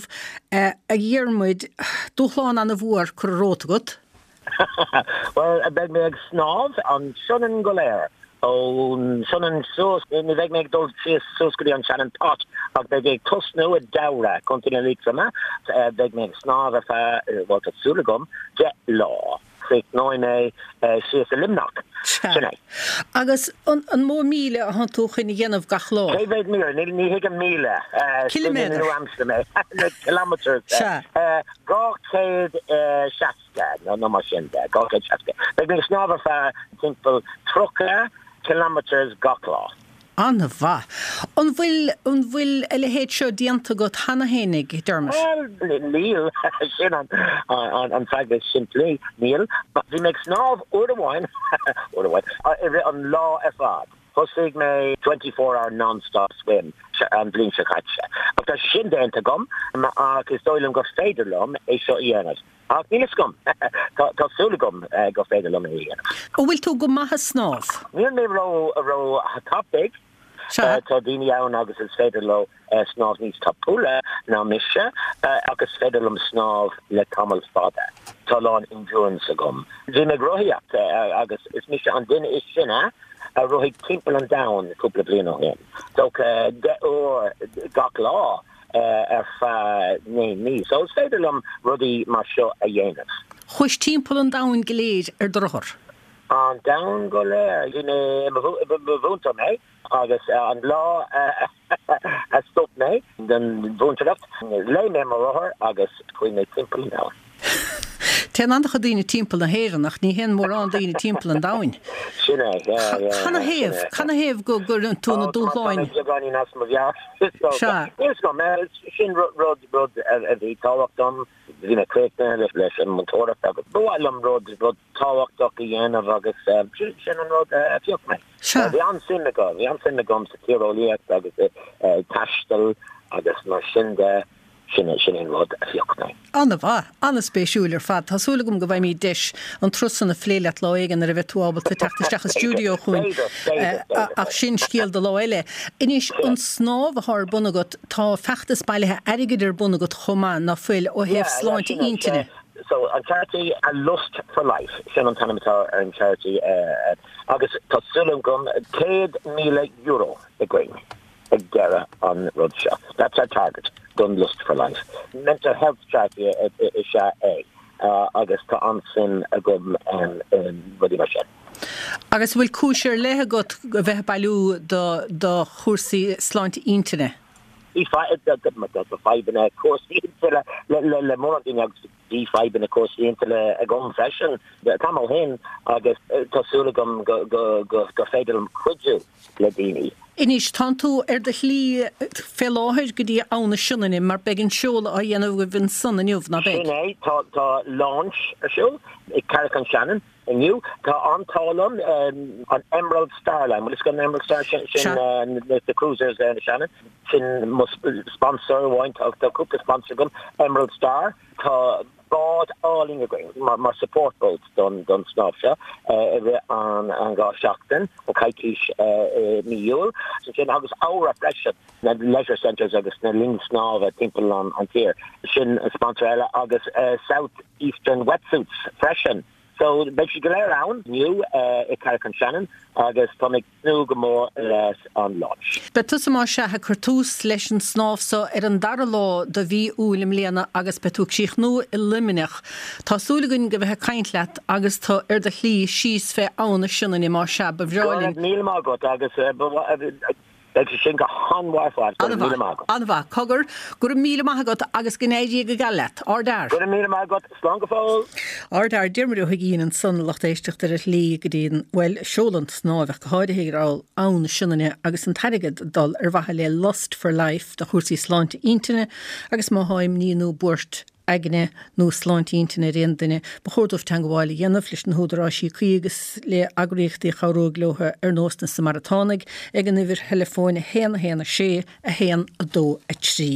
A Dhiarmuid, dúshlán an-mhór curtha romhat agat. Well, beidh mé ag snámh an Sionainn go léir. Ón Sionainn suas, ní bheidh mé ag dul síos suas go dtí an Shannon Pot ach beidh mé ag tosnú i dTeamhair, Contae na Liatroma, beidh mé ag snámh ar feadh, bhuel tá súil agam, deich lá. Críochnóidh mé síos i Luimneach. Sin é. Agus an an mó míle atá tú chun a dhéanamh gach lá? Cé mhéad míle? Ní ní thuigim míle. Ciliméadar. Nua-aimseartha mé. Kilometres. Sea. Dhá chéad seasca nó nó mar sin de, dhá chéad seasca. Beidh mé ag snámh ar feadh timpeall tríocha kilometres gach lá. An-mhaith. An bhfuil an bhfuil a leithéid seo déanta agat cheana féinig, Dermot? Bhuel, níl. Sin an an an freagra simplí. Níl. Bhí mé ag snámh uair amháin uair amháin i rith an lá ar fad. Thosaigh mé twenty four hour non-stop swim an bhliain seo caite. Ach tá sin déanta agam ach is dóigh liom gur féidir liom é seo a dhéanamh. Ach níl a fhios agam. Tá tá súil agam gur féidir liom é a dhéanamh. An bhfuil tú go maith ag snámh? Níl mé ró ró thapaidh. Sea. Tá daoine ann agus is féidir leo snámh níos tapúla ná mise ach is féidir liom snámh le tamall fada. Tá a lán endurance agam. Bhí mé ag rothaíocht agus is mise an duine is sine a rothaigh timpeall an domhain cúpla bliain ó shin. Dócha deich uair gach lá ar feadh naoi mí. So is féidir liom rudaí mar seo a dhéanamh. Chuais timpeall an domhain go léir ar do rothar? An domhan go léir. Bhí mé i mo mhúinteoir mé agus an lá a stop mé den mhúinteoireacht, léim mé mo rothar agus chuaigh mé timpeall an domhain. Téann an-chuid daoine timpeall na hÉireann ach ní théann mórán daoine timpeall an domhain. Sin é, yeah, yeah. Canathaobh, canathaobh go gcuireann tú na dúshláin? Tá mé beagáinín as mo mheabhair. Sea. Níl 'fhios agam, sin rud, rud a bhí tábhachtach dom. Bhí mé críochnaithe leis an múinteoireacht agus ba mhaith liom rud, rud tábhachtach a dhéanamh agus sin an rud a phioc mé. Sea. Bhí an-suim agam, bhí an-suim agam sa tíreolaíocht agus i taisteal agus mar sin de. Sin é, sin é an rud a phioc mé. An-mhaith, an-spéisiúil ar fad. Tá súil agam go bhfaighimid deis an turas san a phlé leat lá éigin nuair a bheidh tú ábalta teacht isteach i stiúideo chugainn. B'fhéidir, b'fhéidir, b'fhéidir. Ach sin scéal do lá eile. Anois, an snámh atá ar bun agat, tá feachtas bailithe airgid ar bun agat chomh maith, ná fuil, ó thaobh Yeah, yeah, sláinte sin é, intinne. So, an charity A Lust for Life, sin an t-ainm atá ar an charity agus tá súil agam céad míle euro againn ag deireadh an rud seo. That's our target don Lust for Life. Mental health charity is ea é agus tá an-suim agam i rudaí mar sin. Agus an bhfuil cúis ar leith agat a bheith ag bailiú do do chúrsaí sláinte intinne? Bhí fadhbanna cúrsaí intinne le le mórán daoine agus bhí fadhbanna cúrsaí intinne agam freisin tamall ó shin agus tá súil agam go go go gur féidir liom cuidiú le daoine. Anois, tánn tú ar do shlí fé láthair go dtí Abha na Sionainne mar beidh an seoladh á dhéanamh agaibh ansan inniu, ná beidh? Sin é, tá tá launch ar siúl i Carrick on Shannon inniu. Tá an-t-ádh liom, an Emerald Star Line, bhfuil fhios agat an Emerald Star, sin sin the cruisers ar na Shannon, sin mo sponsor amháin, tá tá cúpla sponsor agam, Emerald Star, tá bád álainn againn mar, mar support boat don, don snámh seo i rith an, an dhá seachtain, an coicís i mí Iúil. Sin agus Aura freisin, na leisure centres agus na linn snámha timpeall an, an tír. Sin sponsor eile agus uh, South Eastern Wetsuits freisin. So beidh siad go léir ann inniu i Carrick on Shannon agus tá mé ag tnúth go mór leis an launch. Beidh tusa más ea ag cur tús leis an snámh so ar an dara lá de mhí Iúil i mbliana agus beidh tú ag críochnú i Luimneach. Tá súil againn go bheith ag caint leat agus tú ar do shlí síos fé Abha na Sionainne más ea ba bhreá linn. Go raibh míle maith agat agus beidh sé sin go han-mhaith ar fad. Go raibh míle maith agat. An-mhaith. Cogar, go raibh míle maith agat agus go n-éirí go geal leat. Ardfhear. Go raibh míle maith agat. Slán go fóill. Ardfhear. Diarmuid Ó hUigínn ansan, lucht éisteachta ar a shlí go dtí an, bhuel, seoladh an tsnámh ach go háirithe ar Abha na Sionainne agus an t-airgead ag dul ar mhaithe le Lust for Life do chúrsaí sláinte intinne agus má thá imní nó buairt aigne nó sláinte intinne ar aon duine, ba chóir dóibh teangmháil a dhéanamh leis na húdaráisí cuí agus le heagraíochtaí a chabhróidh leo ar nós na Samaratánaigh ag an uimhir theileafóin a haon a haon a sé a haon a dó a trí.